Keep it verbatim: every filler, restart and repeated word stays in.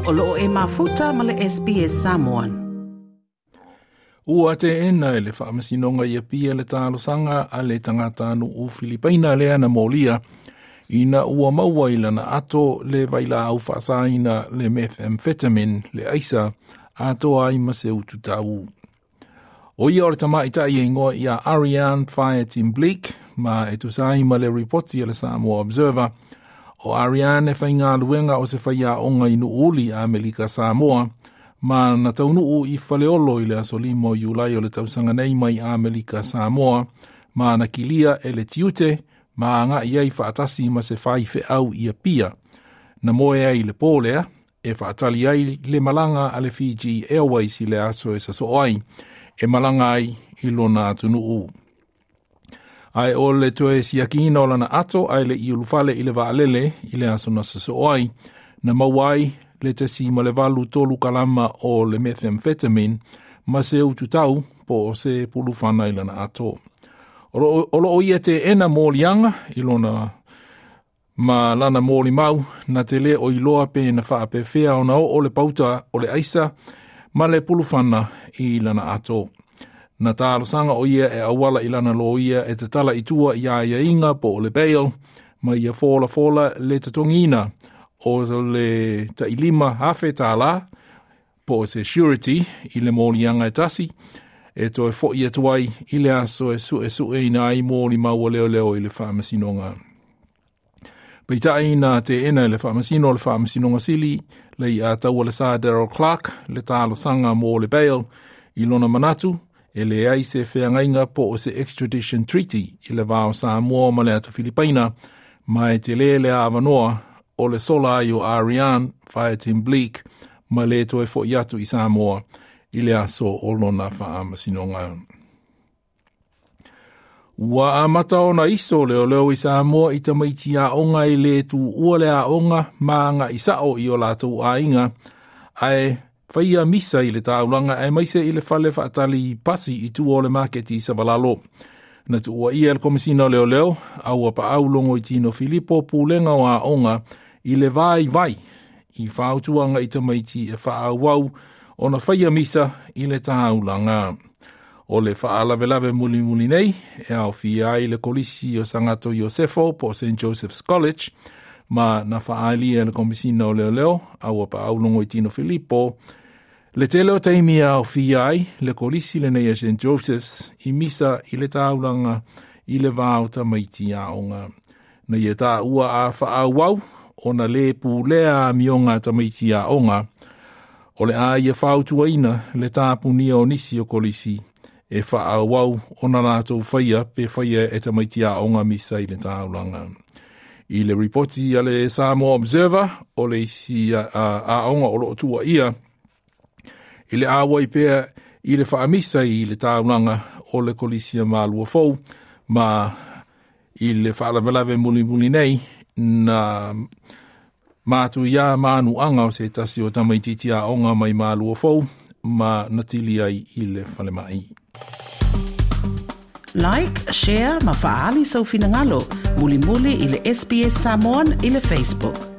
O loo e mafuta ma le S B S Samoan. Ua teena e le faamasinoga i Apia le talosaga a le tagatanuu Filipaina lea na molia ina ua maua i lana ato le vailaau faasaina le methamphetamine le aisa atoa ai ma se ututau. O ia o le tamaitai e igoa ia Ariane Fireteam Bleak ma e tusa ai ma le ripoti a le Samoa Observer. O Ariane e faigaluega o se faiaoga i Nuuuli a Amerika Samoa ma na taunuu i Faleolo i le aso lima o Iulai o le tausaga nei mai Amerika Samoa ma na kilia e le tiute ma agai ai faatasi ma se faifeau i Apia. Na moe ai le pō lea e faatali ai le malaga a le Fiji Airways i le aso e sasoo ai e malaga ai i lona atunuu. Ae o le toe siakiina o lana ato ae le i ulufale i le vaalele i le aso na sasoo ai, na maua ai le tasi ma le valu tolu kalama o le methamphetamine ma se ututau po o se pulufana i lana ato. O loo ia teena moliaga i lona ma lana molimau na te le o iloa pe na faapefea ona oo le pauta o le aisa ma le pulufana i lana ato. Na talosaga o ia e auala i lana loia e tatala i tua i aiaiga po o le bail ma ia folafola le totogiina o le tailima afe tālā po o se surety i le moliaga e tasi e toe fo'i atu ai i le aso e suesueina ai molimau a leoleo i le faamasinoga. Peitai na teena e le faamasino o le faamasinoga sili le i ataua le Sir Daryl Clark le talosaga mo le bail i lona manatu e leai se feagaiga po o se extradition treaty i le va o Samoa ma le atu Filipaina ma e tele le avanoa o le sola ai o Ariane Fireteam Bleak ma le toe fo'i atu i Samoa i le aso o lona faamasinoga. Ua amata ona iso leoleo i Samoa i tamaiti aoga i le tuua le aoga ma aga'i sa'o i o latou aiga ae faia misa i le taulaga aemaise i le fale faatali pasi i tua o le maketi i Savalalo. Na tuua ia le Komisina o Leoleo a ua paau Logoitino Filipo pulega o aoga i le vaivai i fautuaga i tamaiti e faaauau ona faia misa i le taulaga. O le faalavelave mulimuli nei e aofia ai le kolisi o Sagato Iosefo po o Saint Joseph's College ma na faaalia e le Komisina o Leoleo a ua paau Logoitino Filipo le tele o taimi e aofia ai le kolisi lenei a Saint Joseph's i misa i le taulaga i le va o tamaiti aoga. Na ia taua a faaauau ona le pulea amioga a tamaiti aoga o le a ia fautuaina le tapunia o nisi o kolisi e faaauau ona latou faia pe faia e tamaiti aoga misa i le taulaga. I le ripoti a le Samoa Observer o le isi aoga o loo tuuaia i le auai pea i le faamisa i le taulaga o le kolisi a Maluafou ma i le faalavelave mulimuli nei na matuia manuaga o se tasi o tamaitiiti aoga mai Maluafou ma natili ai i le falemai. Like, share ma faali sau finagalo mulimuli i le S B S Samoan i le Facebook.